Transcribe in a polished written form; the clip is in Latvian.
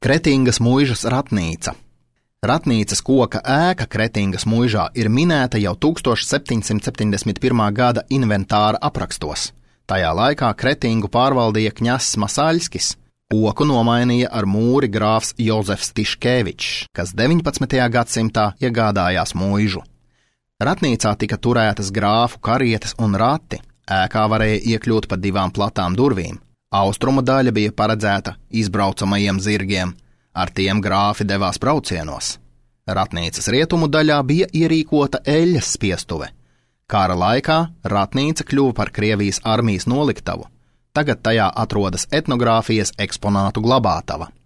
Kretingas muižas ratnīca. Ratnīcas koka ēka Kretingas muižā ir minēta jau 1771. gada inventāra aprakstos. Tajā laikā Kretingu pārvaldīja kņazs Masaļskis. Koku nomainīja ar mūri grāfs Jozefs Tiškevičs, kas 19. gadsimtā iegādājās muižu. Ratnīcā tika turētas grāfu karietes un rati. Ēkā varēja iekļūt pa 2 platām durvīm. Austrumu daļa bija paredzēta izbraucamajiem zirgiem. Ar tiem grāfi devās braucienos. Ratnīcas rietumu daļā bija ierīkota eļļas spiestuve. Kara laikā ratnīca kļuva par Krievijas armijas noliktavu. Tagad tajā atrodas etnogrāfijas eksponātu glabātava.